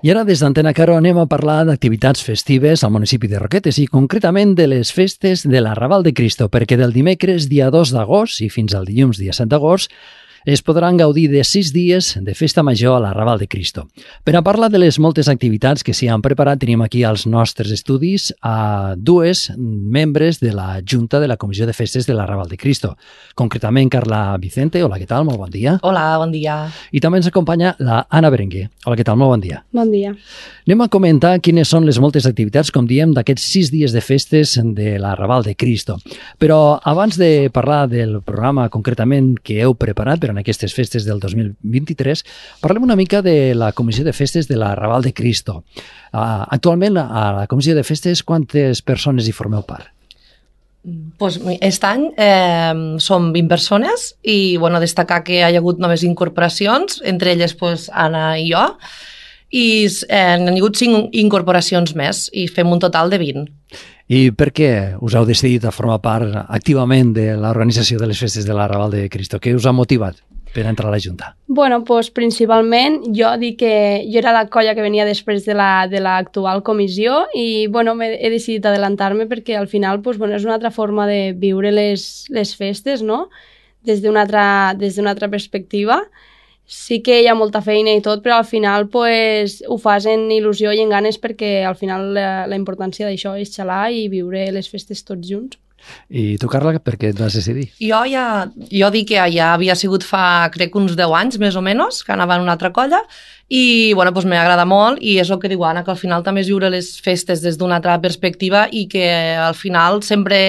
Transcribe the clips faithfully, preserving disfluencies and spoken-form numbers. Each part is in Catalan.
I ara des d'Antena Caro anem a parlar d'activitats festives al municipi de Roquetes i concretament de les festes de l'Arrabal de Cristo, perquè del dimecres dia dos d'agost i fins al dilluns dia set d'agost es podran gaudir de sis dies de festa major a l'Arrabal de Cristo. Per a parlar de les moltes activitats que s'hi han preparat, tenim aquí als nostres estudis a dues membres de la Junta de la Comissió de Festes de l'Arrabal de Cristo. Concretament, Carla Vicente. Hola, què tal? Molt bon dia. Hola, bon dia. I també ens acompanya la Anna Berenguer. Hola, què tal? Molt bon dia. Bon dia. Anem a comentar quines són les moltes activitats, com diem, d'aquests sis dies de festes de l'Arrabal de Cristo. Però abans de parlar del programa concretament que heu preparat per en aquestes festes del dos mil vint-i-tres, parlem una mica de la Comissió de Festes de l'Arrabal de Cristo. Uh, actualment, a la Comissió de Festes, quantes persones hi formeu part? Pues, aquest any eh, som vint persones i bueno, destacar que hi ha hagut noves incorporacions, entre elles pues, Anna i jo, i eh, han hagut cinc incorporacions més i fem un total de vint. I per què us heu decidit a formar part activament de l'organització de les festes de l'Arrabal de Cristo? Què us ha motivat per entrar a la Junta? Bueno, pues, principalment jo dic que jo era la colla que venia després de la de l'actual comissió i bueno, he decidit adelantar-me perquè al final pues, bueno, és una altra forma de viure les, les festes, no? Des d'una altra, des d'una altra perspectiva. Sí que hi ha molta feina i tot, però al final pues, ho fas en il·lusió i en ganes perquè al final la, la importància d'això és xalar i viure les festes tots junts. I tu, Carla, per què et vas decidir? Jo ja, jo dic que ja havia sigut fa, crec, uns deu anys, més o menys, que anava en una altra colla, i bueno, doncs m'agrada molt, i és el que diu Anna, que al final també és viure les festes des d'una altra perspectiva i que al final sempre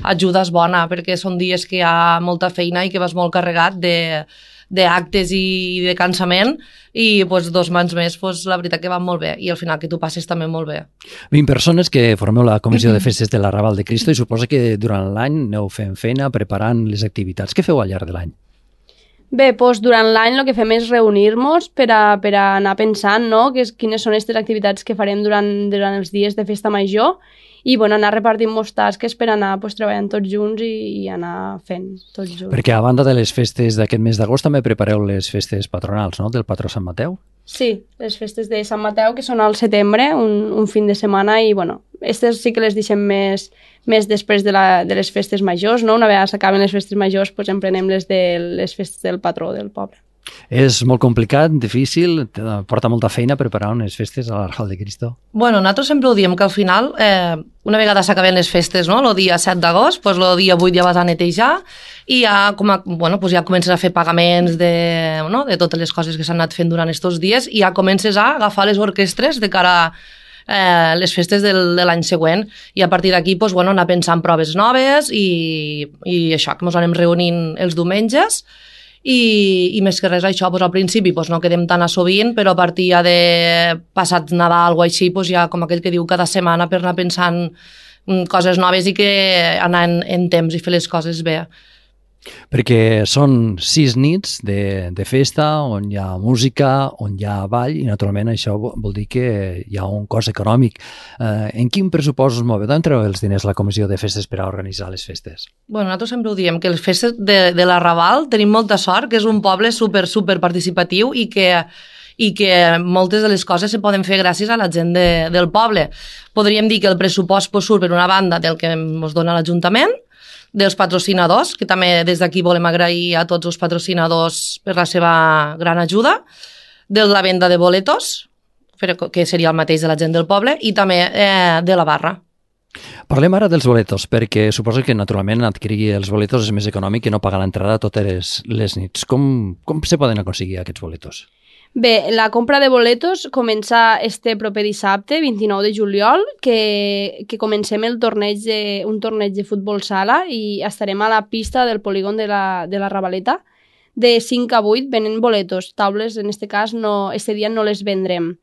ajuda és bona, perquè són dies que hi ha molta feina i que vas molt carregat de d'actes i de cansament i pues, dos mans més, pues, la veritat que van molt bé i al final que tu passes també molt bé. vint persones que formeu la Comissió de Festes de l'Arrabal de Cristo i suposa que durant l'any aneu fent feina, preparant les activitats. Què feu al llarg de l'any? Bé, doncs durant l'any el que fem és reunir-nos per a, per a anar pensant no? que és, quines són aquestes activitats que farem durant, durant els dies de festa major i bueno, anar repartint-nos tasques per anar pues, treballant tots junts i, i anar fent tots junts. Perquè a banda de les festes d'aquest mes d'agost també prepareu les festes patronals, no?, del patró Sant Mateu? Sí, les festes de Sant Mateu, que són al setembre, un, un fin de setmana, i bueno, aquestes sí que les deixem més, més després de, la, de les festes majors, no? Una vegada s'acaben les festes majors, doncs emprenem les de les festes del patró del poble. És molt complicat, difícil, porta molta feina preparar unes festes a l'Arrabal de Cristo? Bueno, nosaltres sempre ho diem que al final, eh, una vegada s'acaben les festes, no?, el dia set d'agost, doncs el dia vuit ja vas a netejar i ja, com a, bueno, doncs ja comences a fer pagaments de, no?, de totes les coses que s'han anat fent durant aquests dies i ja comences a agafar les orquestres de cara a eh, les festes del, de l'any següent i a partir d'aquí doncs, bueno, anar pensant proves noves i, i això, que ens anem reunint els diumenges. I, i més que res això, doncs al principi doncs no quedem tan a sovint, però a partir ja de passat Nadal o així, doncs ja com aquell que diu cada setmana per anar pensant coses noves i que anar en, en temps i fer les coses bé. Perquè són sis nits de, de festa on hi ha música, on hi ha ball i naturalment això vol dir que hi ha un cost econòmic. Eh, en quin pressupost us moveu? D'on treu els diners la Comissió de Festes per a organitzar les festes? Bueno, nosaltres sempre ho diem, que les festes de, de l'Arrabal tenim molta sort, que és un poble super, super participatiu i que i que moltes de les coses se poden fer gràcies a la gent de, del poble. Podríem dir que el pressupost pues, surt per una banda del que ens dona l'Ajuntament, dels patrocinadors, que també des d'aquí volem agrair a tots els patrocinadors per la seva gran ajuda, de la venda de boletos, que seria el mateix de la gent del poble, i també eh, de la barra. Parlem ara dels boletos, perquè suposo que naturalment adquirir els boletos és més econòmic que no pagar l'entrada totes les, les nits. Com, com se poden aconseguir aquests boletos? Bé, la compra de boletos comença este proper dissabte, vint-i-nou de juliol, que, que comencem el torneig de, un torneig de futbol sala i estarem a la pista del polígon de la, de la Ravaleta. De cinc a vuit venen boletos, taules en este cas no, este dia no les vendrem.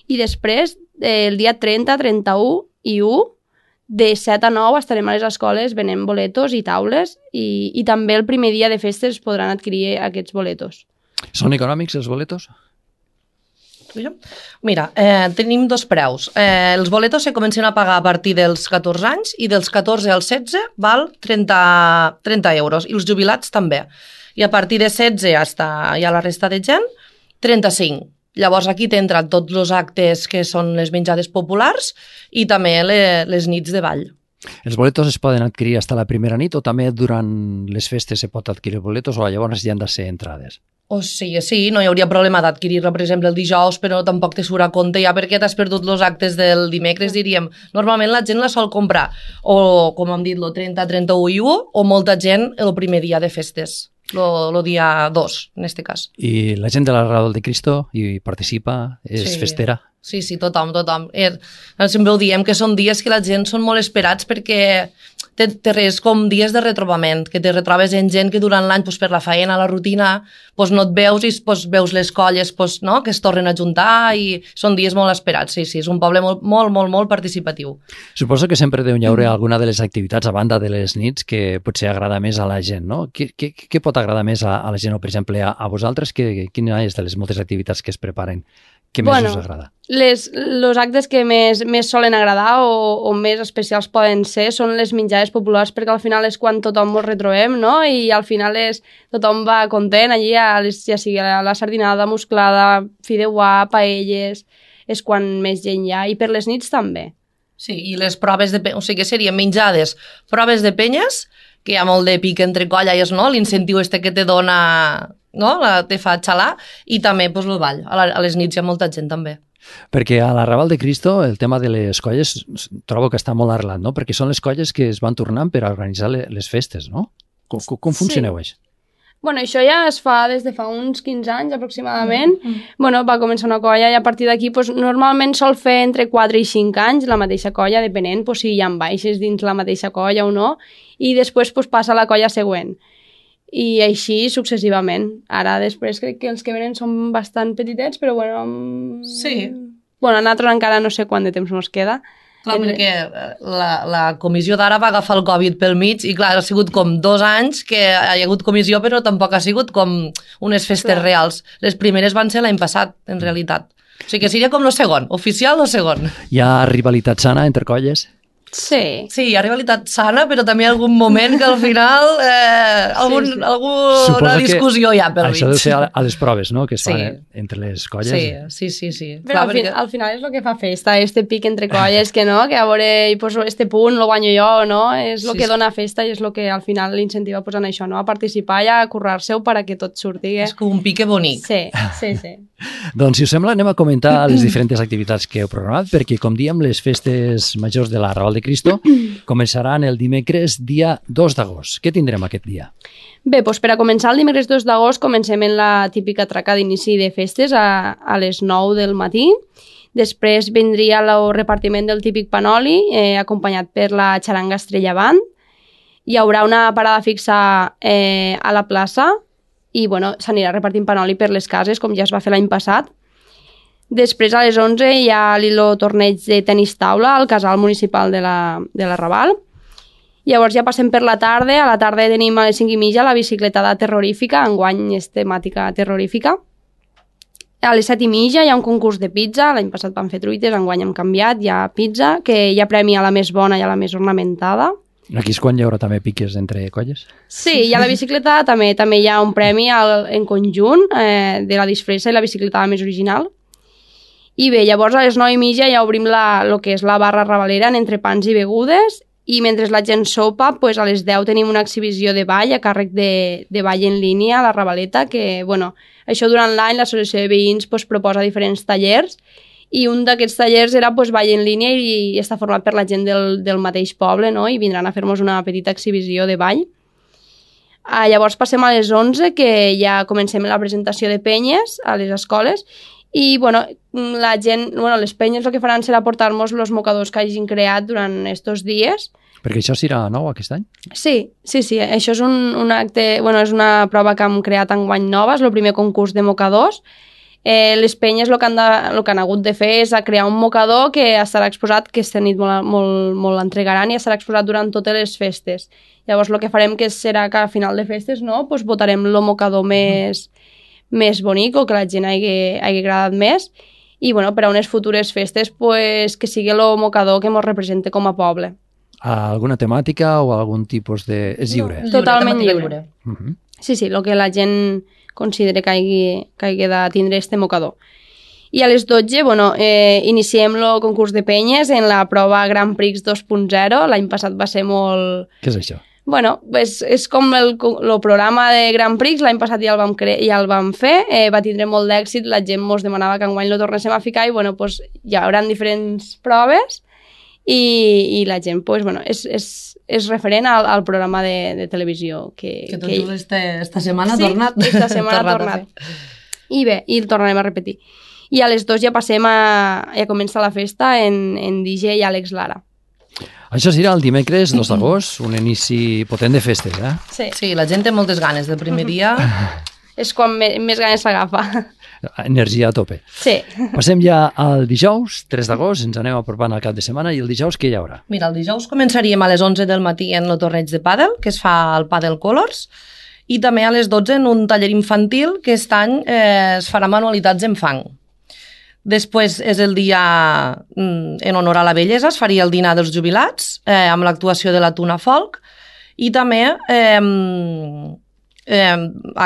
I després, el dia trenta, trenta-u i u, de set a nou estarem a les escoles venent boletos i taules i, i també el primer dia de festes podran adquirir aquests boletos. Són econòmics els boletos? Mira, eh, tenim dos preus. Eh, els boletos se comencen a pagar a partir dels catorze anys i dels catorze als setze val trenta, trenta euros i els jubilats també. I a partir de setze hasta ja la resta de gent, trenta-cinc. Llavors aquí t'entren tots els actes que són les menjades populars i també le, les nits de ball. Els boletos es poden adquirir fins a la primera nit o també durant les festes se pot adquirir boletos o llavors hi han de ser entrades? O sigui, sí, no hi hauria problema d'adquirir-la, per exemple, el dijous, però tampoc te surt a compte ja perquè t'has perdut els actes del dimecres, diríem. Normalment la gent la sol comprar o, com hem dit, el trenta, trenta-u i u, o molta gent el primer dia de festes, el dia dos, en aquest cas. I la gent de la Raval de Cristo hi participa, és Sí. festera? Sí, sí, tothom, tothom. Er, sempre ho diem, que són dies que la gent són molt esperats perquè té, té res com dies de retrobament, que te retrobes en gent que durant l'any pues, per la feina, la rutina, pues, no et veus i pues, veus les colles pues, no? que es tornen a juntar i són dies molt esperats. Sí, sí, és un poble molt, molt, molt, molt participatiu. Suposo que sempre deu hi haure alguna de les activitats a banda de les nits que potser agrada més a la gent, no? Què, què, què pot agradar més a, a la gent o, per exemple, a, a vosaltres? Que, quina és de les moltes activitats que es preparen? Què més Bueno, us agrada? Les, los actes que més, més solen agradar o, o més especials poden ser són les menjades populars, perquè al final és quan tothom ens retrobem, no? I al final és, tothom va content allí, a les, ja sigui la, la sardinada, musclada, fideuà, paelles, és quan més gent hi ha. I per les nits també. Sí, i les proves de... pe- O sigui, que serien menjades, proves de penyes, que hi ha molt de pic entre colles, no? L'incentiu este que te dona, no? La, te fa xalar, i també pues, el ball. A, la, a les nits hi ha molta gent també. Perquè a la Raval de Cristo el tema de les colles trobo que està molt arrelat, no? Perquè són les colles que es van tornant per a organitzar le- les festes, no? Com, com, com funcioneu, Sí. això? Bueno, això ja es fa des de fa uns quinze anys aproximadament. Mm. Bueno, va començar una colla i a partir d'aquí pues, normalment sol fer entre quatre i cinc anys la mateixa colla, depenent pues, si hi ha baixes dins la mateixa colla o no, i després pues, passa a la colla següent. I així successivament. Ara després crec que els que venen són bastant petitets, però bueno... mm, Sí. Bueno, a nosaltres encara no sé quant de temps ens queda. Clar, En- perquè la, la comissió d'ara va agafar el Covid pel mig i clar, ha sigut com dos anys que hi ha hagut comissió però tampoc ha sigut com unes festes Clar. reals. Les primeres van ser l'any passat, en realitat. O sigui que seria com el segon, oficial o segon. Hi ha rivalitat sana entre colles? Sí. Sí, hi ha rivalitat sana, però també hi ha algun moment que al final eh, algun, Sí, sí. alguna Suposo que discussió hi ha pel mig. Això deu ser a, a les proves, no?, que es Sí. fan eh, entre les colles. Sí, sí, sí, sí. Però Clar, al, fi, perquè- al final és el que fa festa, este pic entre colles, que no, que a veure, i, pues, este punt lo guanyo jo, no? És el Sí, que sí. dona festa i és el que al final l'incentiva pues, en això, no? A participar i a currar-se-ho perquè tot surti. És com un pique bonic. Sí, sí, sí. Doncs, si us sembla, anem a comentar les diferents activitats que heu programat, perquè, com diem, les festes majors de la Raval de Cristo començaran el dimecres dia dos d'agost. Què tindrem aquest dia? Bé, doncs per a començar el dimecres dos d'agost comencem en la típica traca d'inici de festes a, a les nou del matí. Després vindria el repartiment del típic panoli, eh, acompanyat per la xaranga Estrella Band. Hi haurà una parada fixa eh, a la plaça i bueno, s'anirà repartint panoli per les cases, com ja es va fer l'any passat. Després, a les onze, hi ha el torneig de tenis taula al casal municipal de la, de la Raval. Llavors ja passem per la tarda. A la tarda tenim a les cinc i mitja la bicicletada terrorífica, enguany és temàtica terrorífica. A les set i mitja hi ha un concurs de pizza, l'any passat van fer truites, enguany hem canviat, hi ha pizza, que hi ha premi a la més bona i a la més ornamentada. Aquí és quan hi haurà també piques entre colles? Sí, hi ha la bicicleta, també també hi ha un premi al, en conjunt eh, de la disfressa i la bicicletada més original. I bé, llavors a les nou i mitja ja obrim la, lo que és la barra ravalera en entrepans i begudes i mentre la gent sopa, pues a les deu tenim una exhibició de ball a càrrec de, de ball en línia a la Ravaleta, que, bueno, això durant l'any l'associació de veïns pues, proposa diferents tallers i un d'aquests tallers era pues, ball en línia i, i està format per la gent del, del mateix poble, no? I vindran a fer-nos una petita exhibició de ball. Ah, llavors passem a les onze, que ja comencem la presentació de penyes a les escoles i bueno, la gent, bueno, les penyes el que faran serà portar-nos els mocadors que hagin creat durant estos dies. Perquè això serà nou aquest any? Sí, sí, sí, això és un, un acte, bueno, és una prova que hem creat enguany nova, és el primer concurs de mocadors. Eh, les penyes el que, han de, el que han hagut de fer és a crear un mocador que estarà exposat, que aquesta nit molt, molt, molt l'entregaran i estarà exposat durant totes les festes. Llavors el que farem que serà que a final de festes no, pues, votarem el mocador més, més bonic o que la gent hagi, hagi agradat més i bueno, per a unes futures festes pues, que sigui el mocador que ens represente com a poble. Alguna temàtica o algun tipus de... És lliure? No. Totalment temàtica lliure. Uh -huh. Sí, sí, el que la gent considera que hagi, que hagi de tindre este mocador. I a les dotze, bueno, eh, iniciem el concurs de penyes en la prova Grand Prix dos punt zero. L'any passat va ser molt... Què és això? Bueno, és, és com el, el programa de Grand Prix, l'any passat ja el vam, cre ja el vam fer, eh, va tindre molt d'èxit, la gent mos demanava que enguany lo tornéssim a ficar i bueno, pues, hi haurà diferents proves i, i la gent pues, bueno, és, és, és referent al, al programa de, de televisió. Que, que tot que... just este, esta setmana ha sí, tornat. esta setmana ha tornat. I bé, i el tornarem a repetir. I a les dos ja passem a... ja comença la festa en, en D J i Àlex Lara. Això serà el dimecres dos d'agost, un inici potent de festes, eh? Sí. Sí, la gent té moltes ganes del primer dia. És quan me, més ganes s'agafa. Energia a tope. Sí. Passem ja al dijous, tres d'agost, ens anem apropant al cap de setmana, i el dijous què hi haurà? Mira, el dijous començaríem a les onze del matí en el torneig de pàdel, que es fa al Padel Colors, i també a les dotze en un taller infantil que aquest any eh, es farà manualitats en fang. Després és el dia en honor a la bellesa, es faria el dinar dels jubilats eh, amb l'actuació de la Tuna Folk i també eh, eh,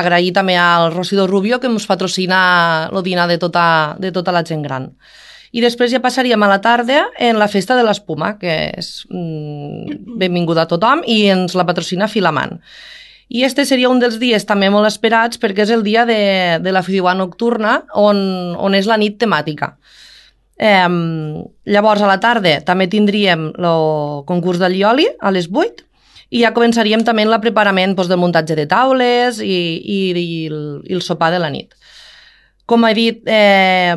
agrair també al Rosido Rubio que ens patrocina el dinar de tota, de tota la gent gran. I després ja passaríem a la tarda en la festa de l'espuma, que és mm, benvinguda a tothom i ens la patrocina Filamant. I este seria un dels dies també molt esperats perquè és el dia de, de la Fideuà nocturna on, on és la nit temàtica. Eh, llavors a la tarda també tindríem el concurs de Lioli a les vuit i ja començaríem també el preparament doncs, del muntatge de taules i, i, i, el, i el sopar de la nit. Com he dit, eh,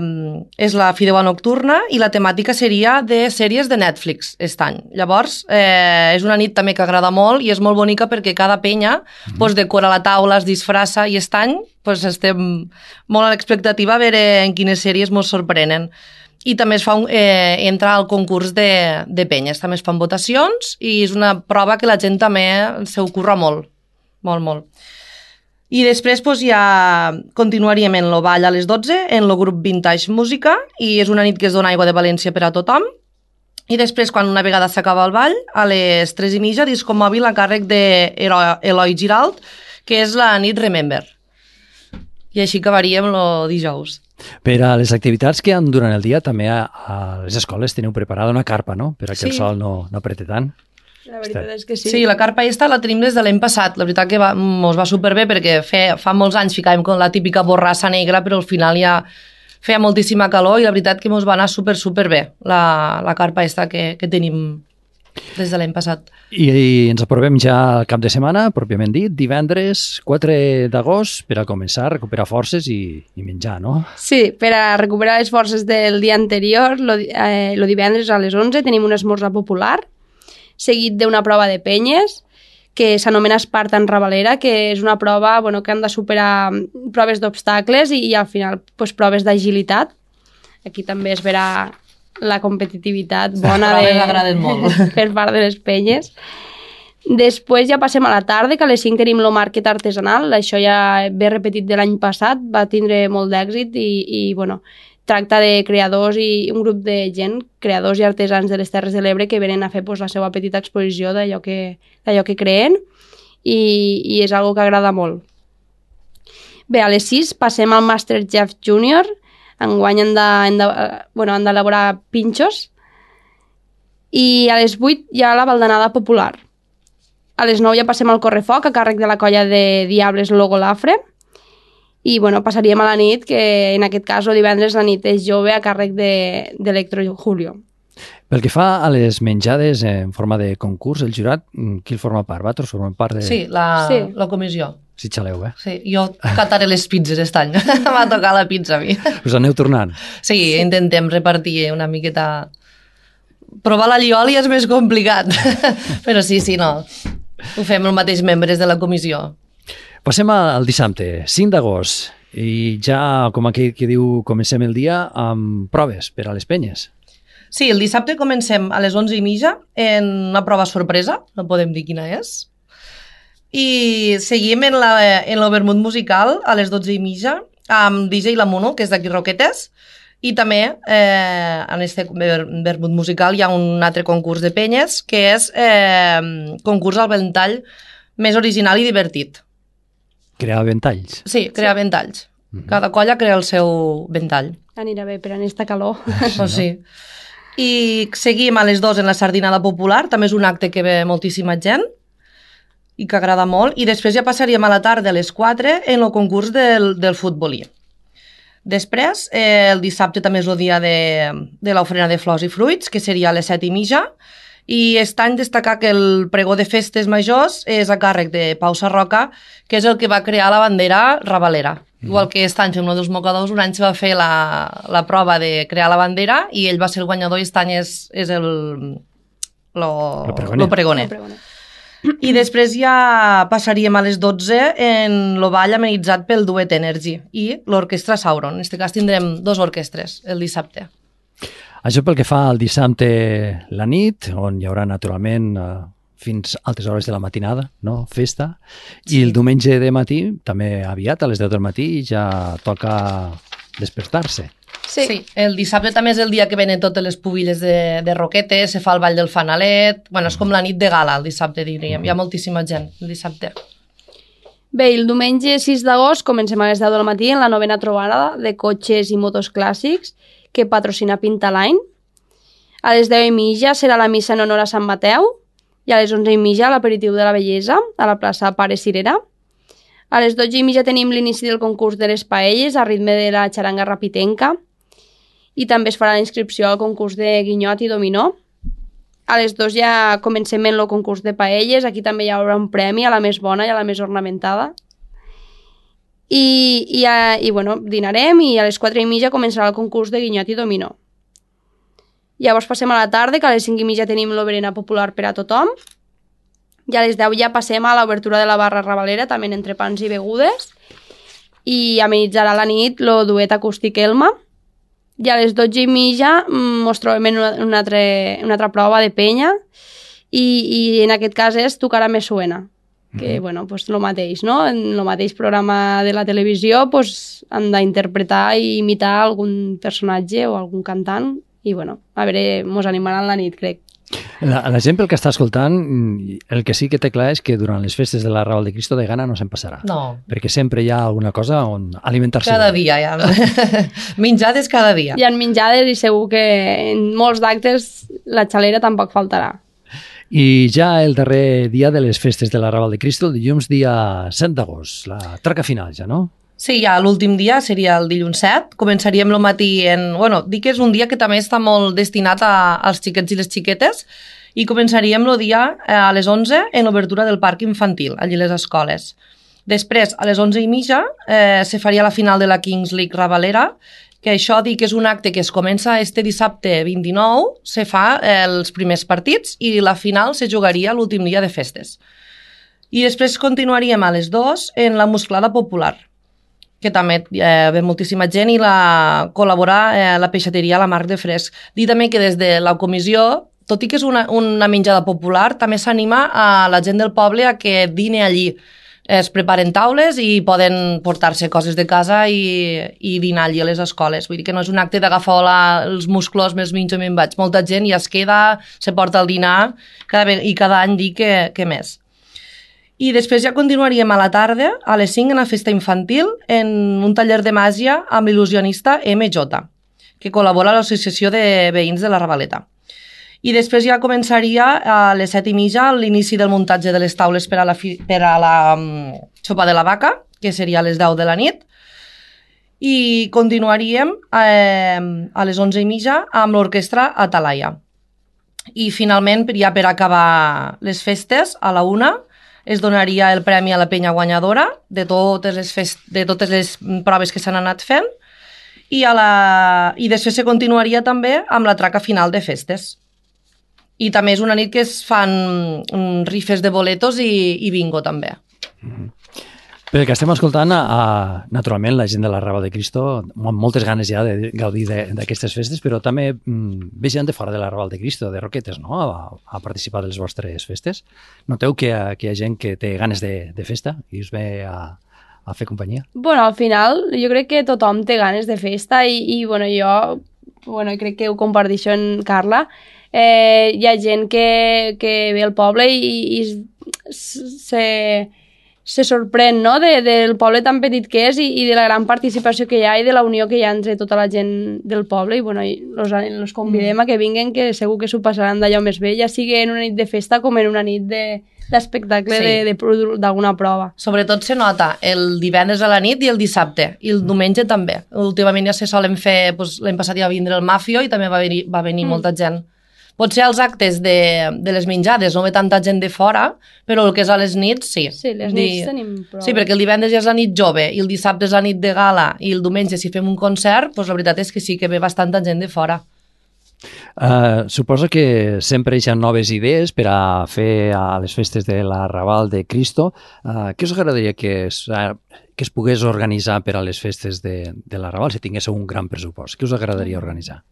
és la Fideuà nocturna i la temàtica seria de sèries de Netflix aquest any. Llavors, eh, és una nit també que agrada molt i és molt bonica perquè cada penya mm-hmm. pues, decora la taula, es disfressa i aquest any pues, estem molt a l'expectativa a veure en quines sèries ens sorprenen. I també es fa un, eh, entra al concurs de, de penyes, també es fan votacions i és una prova que la gent també s'ho curra molt, molt, molt. I després doncs, ja continuaríem en el ball a les dotze, en el grup Vintage Música, i és una nit que es dona aigua de València per a tothom. I després, quan una vegada s'acaba el ball, a les tres i mitja, disco mòbil a càrrec d'Eloi Giralt, que és la nit Remember. I així acabaríem el dijous. Per a les activitats que hi ha durant el dia, també a, a les escoles teniu preparada una carpa, no? Per a que sí. el sol no, no aprete tant. La veritat és que sí. Sí, la carpa aquesta la tenim des de l'any passat. La veritat que va, mos va superbé perquè fe, fa molts anys ficàvem con la típica borrassa negra, però al final ja feia moltíssima calor i la veritat que mos va anar super, super bé la, la carpa aquesta que, que tenim des de l'any passat. I, I ens aprovem ja al cap de setmana, pròpiament dit, divendres quatre d'agost, per a començar a recuperar forces i, i menjar, no? Sí, per a recuperar les forces del dia anterior, el eh, divendres a les onze tenim un esmorzar popular, seguit d'una prova de penyes que s'anomena Spartan Ravalera, que és una prova bueno, que han de superar proves d'obstacles i, i al final pues, proves d'agilitat. Aquí també es verà la competitivitat bona de, molt. per part de les penyes. Després ja passem a la tarda, que a les cinc tenim el market artesanal, això ja ve repetit de l'any passat, va tindre molt d'èxit i, i bueno, tracta de creadors i un grup de gent, creadors i artesans de les Terres de l'Ebre que venen a fer pues, la seva petita exposició d'allò que, d'allò que creen i, i és algo que agrada molt. Bé, a les sis passem al MasterChef Junior, enguany han de, han de, bueno, han d'elaborar pinxos i a les vuit hi ha la baldanada popular. A les nou ja passem al correfoc a càrrec de la colla de Diables Logo Lafre. I bueno, passaríem a la nit, que en aquest cas el divendres la nit és jove a càrrec d'Electro de, Julio. Pel que fa a les menjades en forma de concurs, el jurat, qui el forma part? Vosaltres formem part de... Sí, la, sí. la comissió. Si xaleu, eh? Sí, jo cataré les pizzas aquest any. M'ha tocat la pizza a mi. Us aneu tornant? Sí, intentem repartir una miqueta... Provar la lioli és més complicat. Però sí, sí, no. Ho fem els mateixos membres de la comissió. Passem al dissabte, cinc d'agost, i ja, com aquell que diu, comencem el dia amb proves per a les penyes. Sí, el dissabte comencem a les onze i mitja en una prova sorpresa, no podem dir quina és, i seguim en el vermut musical a les dotze i mitja amb D J La Mono, que és d'aquí Roquetes, i també eh, en aquest vermut musical hi ha un altre concurs de penyes que és eh, concurs al ventall més original i divertit. Crear ventalls. Sí, crear sí. ventalls. Mm-hmm. Cada colla crea el seu ventall. Anirà bé per aquesta calor. Pues sí. I seguim a les dues en la sardinada popular, també és un acte que ve moltíssima gent i que agrada molt, i després ja passaríem a la tarda a les quatre en el concurs del, del futbolí. Després, eh, el dissabte també és el dia de, de l'ofrena de flors i fruits, que seria a les set i mitja, i està en destacar que el pregó de festes majors és a càrrec de Pau Sarroca, que és el que va crear la bandera rabalera. Mm. Igual que aquest any fem lo dels mocadors, un any se va fer la, la prova de crear la bandera i ell va ser el guanyador i aquest any és, és el lo, lo pregoner. Lo pregoner. Lo pregoner. I després ja passaríem a les dotze en el ball amenitzat pel Duet Energy i l'orquestra Sauron. En aquest cas tindrem dos orquestres el dissabte. Això pel que fa al dissabte la nit, on hi haurà naturalment eh, fins altes hores de la matinada, no? Festa. I sí. El diumenge de matí, també aviat, a les deu del matí, ja toca despertar-se. Sí. sí, el dissabte també és el dia que venen totes les pubilles de, de roquetes, se fa el ball del fanalet, bueno, és com la nit de gala el dissabte, diríem, hi ha moltíssima gent el dissabte. Bé, el diumenge sis d'agost comencem a les deu del matí en la novena trobada de cotxes i motos clàssics que patrocina Pintaline. A les deu i mitja serà la missa en honor a Sant Mateu i a les onze i mitja l'aperitiu de la bellesa a la plaça Pare Cirera. A les dotze i mitja tenim l'inici del concurs de les paelles a ritme de la xaranga rapitenca i també es farà la inscripció al concurs de guinyot i dominó. A les dues ja comencem en el concurs de paelles, aquí també hi haurà un premi a la més bona i a la més ornamentada. I, i, a, i bueno, dinarem i a les quatre i mitja començarà el concurs de guinyot i dominó. Llavors passem a la tarda, que a les cinc i mitja tenim l'oberena popular per a tothom. I a les deu ja passem a l'obertura de la barra rabalera, també entre pans i begudes. I amenitzarà la nit el duet acústic Elma. I a les dotze i mitja ens trobem en una, una, altra, una altra prova de penya i, i en aquest cas és Tocarà Me Suena, que mm-hmm. bueno, pues lo mateix, no? En el mateix programa de la televisió pues, han d'interpretar i imitar algun personatge o algun cantant i bueno, a veure, mos animaran la nit, crec. La, la gent pel que està escoltant, el que sí que té clar és que durant les festes de la Raval de Cristo de gana no se'n passarà. No. Perquè sempre hi ha alguna cosa on alimentar-se. Cada dia hi ha. Menjades cada dia. Hi ha menjades i segur que en molts d'actes la xalera tampoc faltarà. I ja el darrer dia de les festes de la Raval de Cristo, el dilluns dia set d'agost, la traca final ja, no? Sí, ja l'últim dia seria el dilluns set, començaríem el matí en... Bueno, dic que és un dia que també està molt destinat a, als xiquets i les xiquetes i començaríem el dia a les onze en l'obertura del parc infantil, allí a les escoles. Després, a les onze i mitja, eh, se faria la final de la Kings League Ravalera, que això dic que és un acte que es comença este dissabte vint-i-nou, se fa eh, els primers partits i la final se jugaria l'últim dia de festes. I després continuaríem a les dues en la musclada popular, que també eh, ve moltíssima gent i la col·labora eh, la peixateria La Marc de Fresc. Dir també que des de la comissió, tot i que és una, una menjada popular, també s'anima a la gent del poble a que dine allí. Es preparen taules i poden portar-se coses de casa i, i dinar allí a les escoles. Vull dir que no és un acte d'agafar els musclos, més menjo i me'n vaig. Molta gent ja es queda, se porta el dinar cada, i cada any dir que, que més. I després ja continuaríem a la tarda, a les cinc, en la festa infantil, en un taller de màgia amb l'il·lusionista eme jota, que col·labora a l'Associació de Veïns de la Ravaleta. I després ja començaria a les set i mitja l'inici del muntatge de les taules per a la, fi, per a la um, sopa de la vaca, que seria a les deu de la nit. I continuaríem eh, a les onze i mitja amb l'orquestra Atalaia. I finalment, ja per acabar les festes, a la una, es donaria el premi a la penya guanyadora de totes les, fest... de totes les proves que s'han anat fent i, a la... i després se continuaria també amb la traca final de festes. I també és una nit que es fan rifes de boletos i, i bingo també. Mm-hmm. Pel que estem escoltant, a, naturalment la gent de la Raval de Cristo amb moltes ganes ja de gaudir d'aquestes festes, però també mm, ve gent de fora de la Raval de Cristo, de Roquetes, no? a, a participar de les vostres festes. Noteu que, que hi ha gent que té ganes de, de festa i us ve a, a fer companyia? Bueno, al final jo crec que tothom té ganes de festa i, i bueno, jo bueno, crec que ho comparteixo en Carla. Eh, hi ha gent que, que ve al poble i, i se... se sorprèn, no?, de, del poble tan petit que és i, i de la gran participació que hi ha i de la unió que hi ha entre tota la gent del poble. I, bueno, i los, los convidem a que vinguen, que segur que s'ho passaran d'allò més bé, ja sigui en una nit de festa com en una nit de d'espectacle sí. d'alguna prova. Sobretot se nota el divendres a la nit i el dissabte, i el diumenge també. Últimament ja se solen fer, doncs, l'any passat ja va vindre el Mafio i també va venir, va venir mm. molta gent. Potser als actes de, de les menjades no ve tanta gent de fora, però el que és a les nits, sí. Sí, les nits Di... tenim prou. Sí, perquè el divendres ja és la nit jove i el dissabte és la nit de gala i el diumenge si fem un concert, doncs la veritat és que sí que ve bastanta gent de fora. Uh, suposo que sempre hi ha noves idees per a fer a les festes de l'Arrabal de Cristo. Uh, què us agradaria que es, uh, que es pogués organitzar per a les festes de, de l'Arrabal si tinguéssiu un gran pressupost? Què us agradaria organitzar?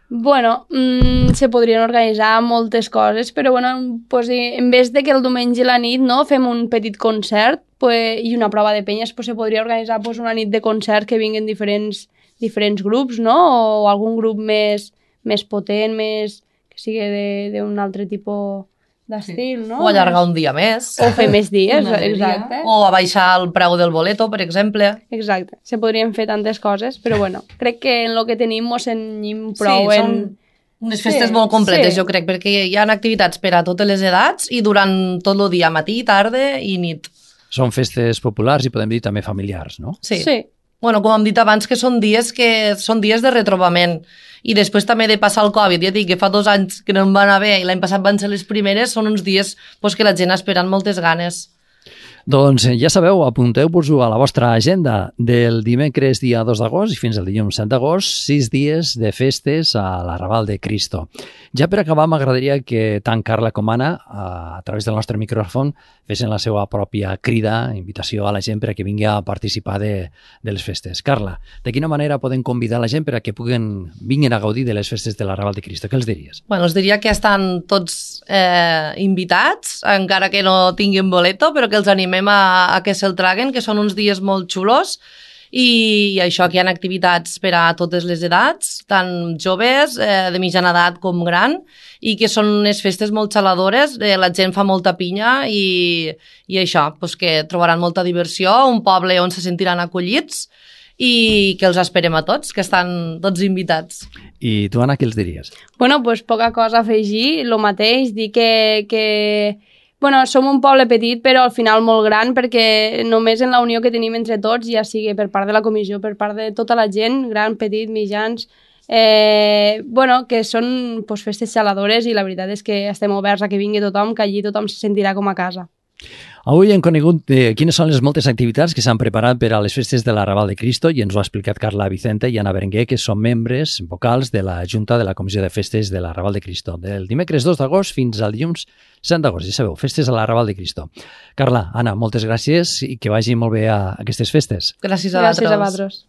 Bueno, mmm, se podrien organitzar moltes coses, però bueno, pues, en vez de que el diumenge a la nit no, fem un petit concert pues, i una prova de penyes, pues, se podria organitzar pues, una nit de concert que vinguin diferents, diferents grups, no? O algun grup més, més potent, més, que sigui d'un altre tipus d'estil, sí. no? O allargar un dia més. O fer més dies, exacte. O a baixar el preu del boleto, per exemple. Exacte. Se podrien fer tantes coses, però bueno, crec que en el que tenim mos ennyim prou sí, en... són unes festes sí, molt completes, sí. jo crec, perquè hi ha activitats per a totes les edats i durant tot el dia, matí, tarda i nit. Són festes populars i podem dir també familiars, no? Sí. Sí. Bueno, com hem dit abans, que són dies que són dies de retrobament. I després també de passar el Covid, ja dic que fa dos anys que no em va anar bé i l'any passat van ser les primeres, són uns dies pues, que la gent espera amb moltes ganes. Doncs ja sabeu, apunteu-vos-ho a la vostra agenda del dimecres dia dos d'agost i fins al dilluns set d'agost, sis dies de festes a l'Arrabal de Cristo. Ja per acabar, m'agradaria que tant Carla com Anna, a través del nostre micròfon, fessin la seva pròpia crida, invitació a la gent per a que vingui a participar de, de les festes. Carla, de quina manera podem convidar la gent per a que puguen, vinguin a gaudir de les festes de l'Arrabal de Cristo? Què els diries? Bueno, els diria que estan tots eh, invitats, encara que no tinguin boleto, però que els animem a, a que se'l traguen, que són uns dies molt xulos i, i això, que hi ha activitats per a totes les edats, tant joves, eh, de mitjana edat com gran, i que són unes festes molt xaladores, eh, la gent fa molta pinya i, i això, pues que trobaran molta diversió, un poble on se sentiran acollits i que els esperem a tots, que estan tots invitats. I tu, Anna, què els diries? Bueno, pues poca cosa a afegir, el mateix, dir que... que... Bueno, som un poble petit, però al final molt gran, perquè només en la unió que tenim entre tots, ja sigui per part de la comissió, per part de tota la gent, gran, petit, mitjans, eh, bueno, que són pues, festes xaladores i la veritat és que estem oberts a que vingui tothom, que allí tothom se sentirà com a casa. Avui hem conegut eh, quines són les moltes activitats que s'han preparat per a les festes de l'Arrabal de Cristo i ens ho ha explicat Carla Vicente i Anna Berenguer, que són membres vocals de la Junta de la Comissió de Festes de l'Arrabal de Cristo, del dimecres dos d'agost fins al dilluns set d'agost. Ja sabeu, festes a l'Arrabal de Cristo. Carla, Anna, moltes gràcies i que vagi molt bé a aquestes festes. Gràcies a Gràcies a vosaltres.